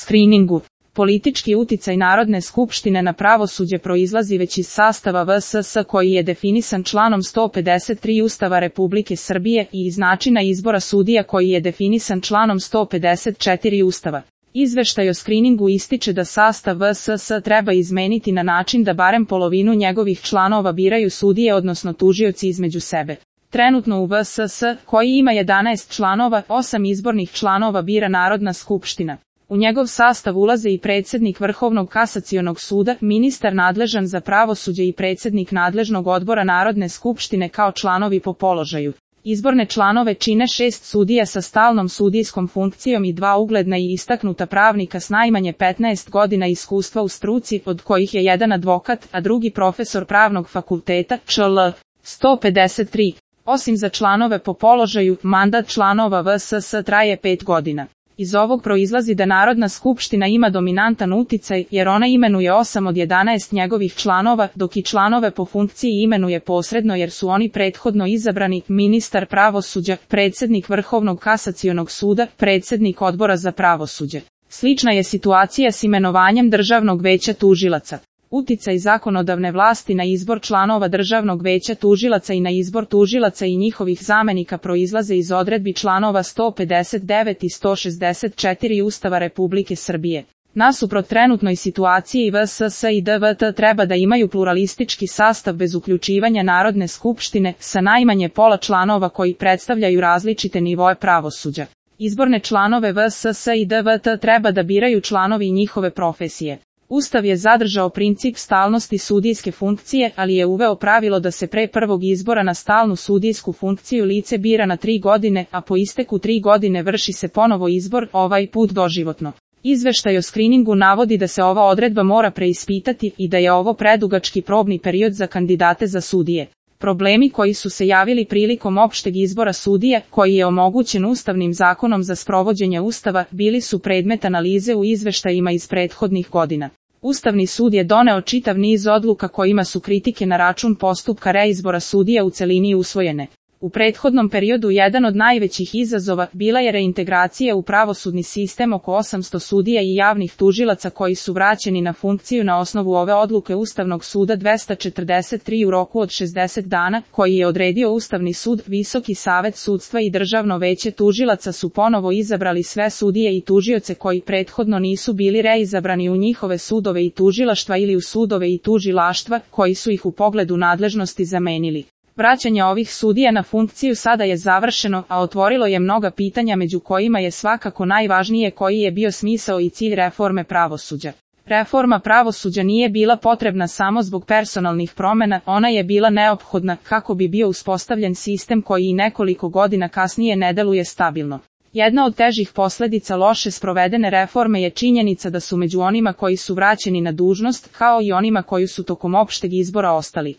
Skriningu. Politički uticaj Narodne skupštine na pravosuđe proizlazi već iz sastava VSS koji je definisan članom 153 Ustava Republike Srbije i iz načina izbora sudija koji je definisan članom 154 Ustava. Izveštaj o skriningu ističe da sastav VSS treba izmeniti na način da barem polovinu njegovih članova biraju sudije odnosno tužioci između sebe. Trenutno u VSS, koji ima 11 članova, 8 izbornih članova bira Narodna skupština. U njegov sastav ulaze i predsjednik Vrhovnog kasacionog suda, ministar nadležan za pravosuđe i predsjednik nadležnog odbora Narodne skupštine kao članovi po položaju. Izborne članove čine 6 sudija sa stalnom sudijskom funkcijom i 2 ugledna i istaknuta pravnika s najmanje 15 godina iskustva u struci, od kojih je jedan advokat, a drugi profesor pravnog fakulteta, ČL. 153. Osim za članove po položaju, mandat članova VSS traje 5 godina. Iz ovog proizlazi da Narodna skupština ima dominantan uticaj, jer ona imenuje 8 od 11 njegovih članova, dok i članove po funkciji imenuje posredno jer su oni prethodno izabrani, ministar pravosuđa, predsjednik Vrhovnog kasacionog suda, predsjednik odbora za pravosuđe. Slična je situacija s imenovanjem Državnog veća tužilaca. Uticaj zakonodavne vlasti na izbor članova Državnog veća tužilaca i na izbor tužilaca i njihovih zamenika proizlaze iz odredbi članova 159 i 164 Ustava Republike Srbije. Nasuprot trenutnoj situaciji VSS i DVT treba da imaju pluralistički sastav bez uključivanja Narodne skupštine, sa najmanje pola članova koji predstavljaju različite nivoe pravosuđa. Izborne članove VSS i DVT treba da biraju članovi i njihove profesije. Ustav je zadržao princip stalnosti sudijske funkcije, ali je uveo pravilo da se pre prvog izbora na stalnu sudijsku funkciju lice bira na 3 godine, a po isteku 3 godine vrši se ponovo izbor, ovaj put doživotno. Izveštaj o skriningu navodi da se ova odredba mora preispitati i da je ovo predugački probni period za kandidate za sudije. Problemi koji su se javili prilikom opšteg izbora sudija, koji je omogućen Ustavnim zakonom za sprovođenje Ustava, bili su predmet analize u izveštajima iz prethodnih godina. Ustavni sud je doneo čitav niz odluka kojima su kritike na račun postupka reizbora sudija u celini usvojene. U prethodnom periodu jedan od najvećih izazova bila je reintegracija u pravosudni sistem oko 800 sudija i javnih tužilaca koji su vraćeni na funkciju na osnovu ove odluke Ustavnog suda 243 u roku od 60 dana, koji je odredio Ustavni sud. Visoki savet sudstva i Državno veće tužilaca su ponovo izabrali sve sudije i tužioce koji prethodno nisu bili reizabrani u njihove sudove i tužilaštva ili u sudove i tužilaštva, koji su ih u pogledu nadležnosti zamenili. Vraćanje ovih sudija na funkciju sada je završeno, a otvorilo je mnoga pitanja među kojima je svakako najvažnije koji je bio smisao i cilj reforme pravosuđa. Reforma pravosuđa nije bila potrebna samo zbog personalnih promjena, ona je bila neophodna kako bi bio uspostavljen sistem koji i nekoliko godina kasnije ne deluje stabilno. Jedna od težih posljedica loše sprovedene reforme je činjenica da su među onima koji su vraćeni na dužnost, kao i onima koji su tokom opšteg izbora ostali